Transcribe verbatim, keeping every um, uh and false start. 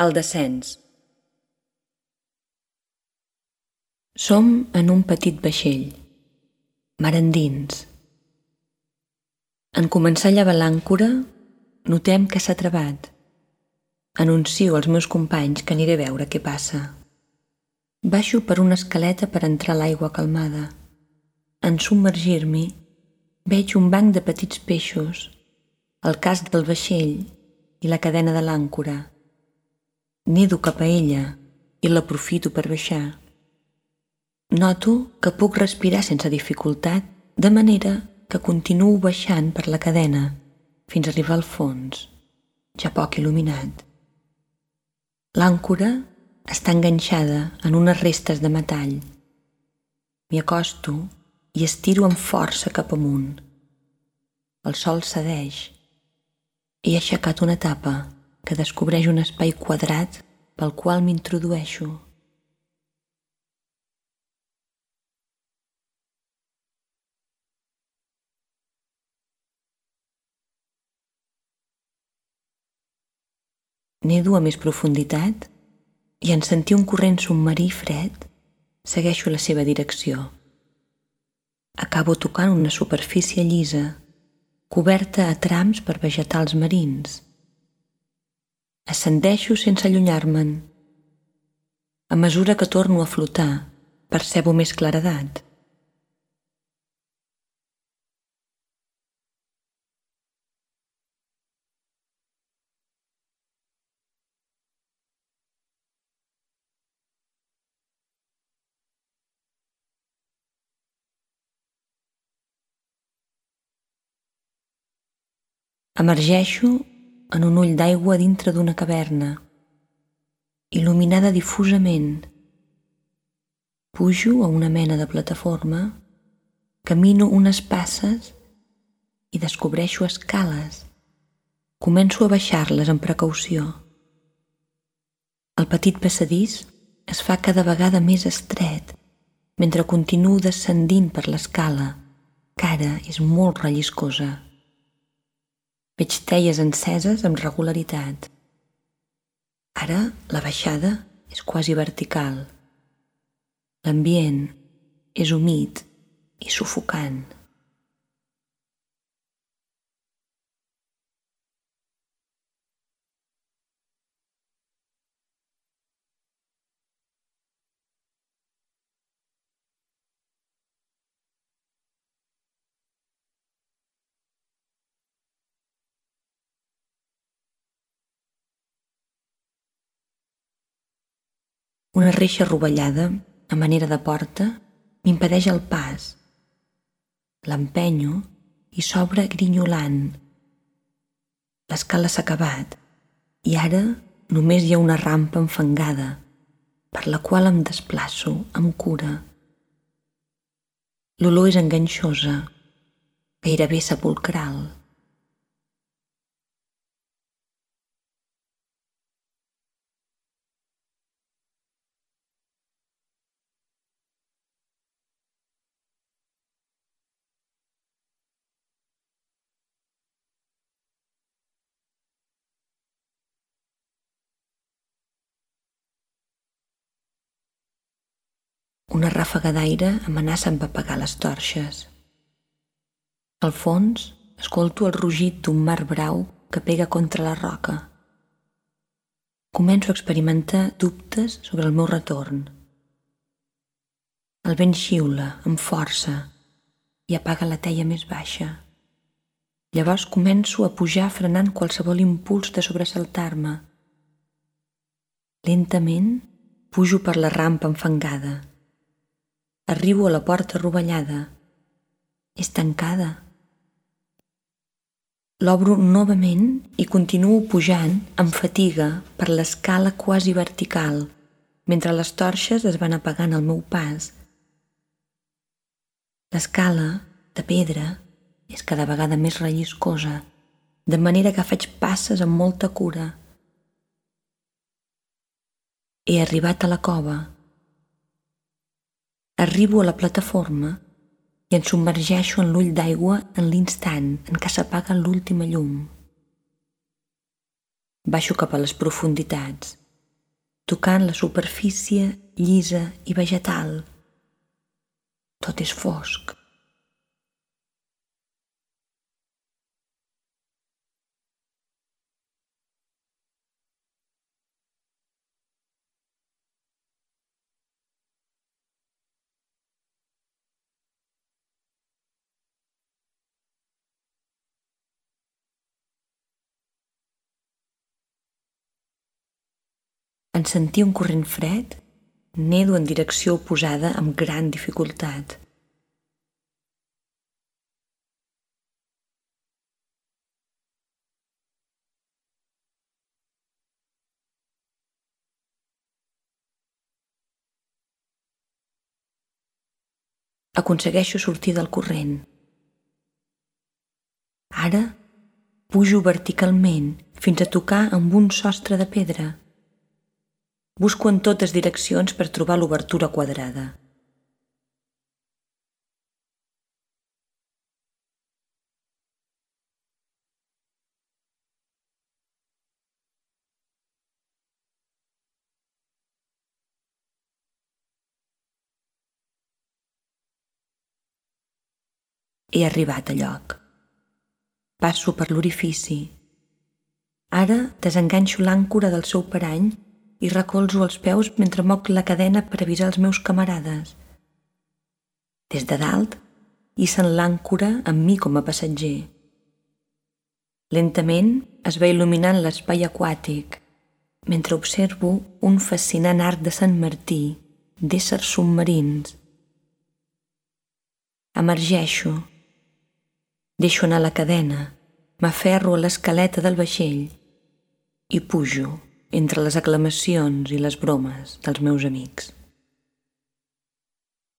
El descens. Som en un petit vaixell, mar endins. En començar a llevar l'àncora, notem que s'ha travat. Anuncio als meus companys que aniré a veure què passa. Baixo per una escaleta per entrar a l'aigua calmada. En submergir-m'hi, veig un banc de petits peixos, el casc del vaixell i la cadena de l'àncora. Nedo cap a ella i l'aprofito per baixar. Noto que puc respirar sense dificultat, de manera que continuo baixant per la cadena fins a arribar al fons, ja poc il·luminat. L'àncora està enganxada en unes restes de metall. M'hi acosto i estiro amb força cap amunt. El sol cedeix. He aixecat una tapa que descobreix un espai quadrat pel qual m'introdueixo. Nedo a més profunditat i en sentir un corrent submarí fred, segueixo la seva direcció. Acabo tocant una superfície llisa, coberta a trams per vegetals marins. Ascendeixo sense allunyar-me'n. A mesura que torno a flotar, percebo més claredat. Emergeixo en un ull d'aigua dintre d'una caverna, il·luminada difusament. Pujo a una mena de plataforma, camino unes passes i descobreixo escales. Començo a baixar-les amb precaució. El petit passadís es fa cada vegada més estret mentre continuo descendint per l'escala, que ara és molt relliscosa. Veig teies enceses amb regularitat. Ara la baixada és quasi vertical. L'ambient és humit i sufocant. Una reixa rovellada, a manera de porta, m'impedeix el pas. L'empenyo i s'obre grinyolant. L'escala s'ha acabat i ara només hi ha una rampa enfangada per la qual em desplaço amb cura. L'olor és enganxosa, gairebé sepulcral. Una ràfaga d'aire amenaça amb apagar les torxes. Al fons, escolto el rugit d'un mar brau que pega contra la roca. Començo a experimentar dubtes sobre el meu retorn. El vent xiula amb força i apaga la teia més baixa. Llavors començo a pujar frenant qualsevol impuls de sobresaltar-me. Lentament pujo per la rampa enfangada. Arribo a la porta rovellada. És tancada. L'obro novament i continuo pujant amb fatiga per l'escala quasi vertical, mentre les torxes es van apagant al meu pas. L'escala, de pedra, és cada vegada més relliscosa, de manera que faig passes amb molta cura. He arribat a la cova. Arribo a la plataforma i em submergeixo en l'ull d'aigua en l'instant en què s'apaga l'última llum. Baixo cap a les profunditats tocant la superfície llisa i vegetal. Tot és fosc. En sentir un corrent fred, nedo en direcció oposada amb gran dificultat. Aconsegueixo sortir del corrent. Ara pujo verticalment fins a tocar amb un sostre de pedra. Busco en totes direccions per trobar l'obertura quadrada. He arribat a lloc. Passo per l'orifici. Ara desenganxo l'àncora del seu parany i recolzo els peus mentre moc la cadena per avisar els meus camarades. Des de dalt, hissen l'àncora amb mi com a passatger. Lentament es va il·luminant l'espai aquàtic, mentre observo un fascinant arc de Sant Martí d'éssers submarins. Emergeixo. Deixo anar la cadena, m'aferro a l'escaleta del vaixell i pujo entre les aclamacions i les bromes dels meus amics.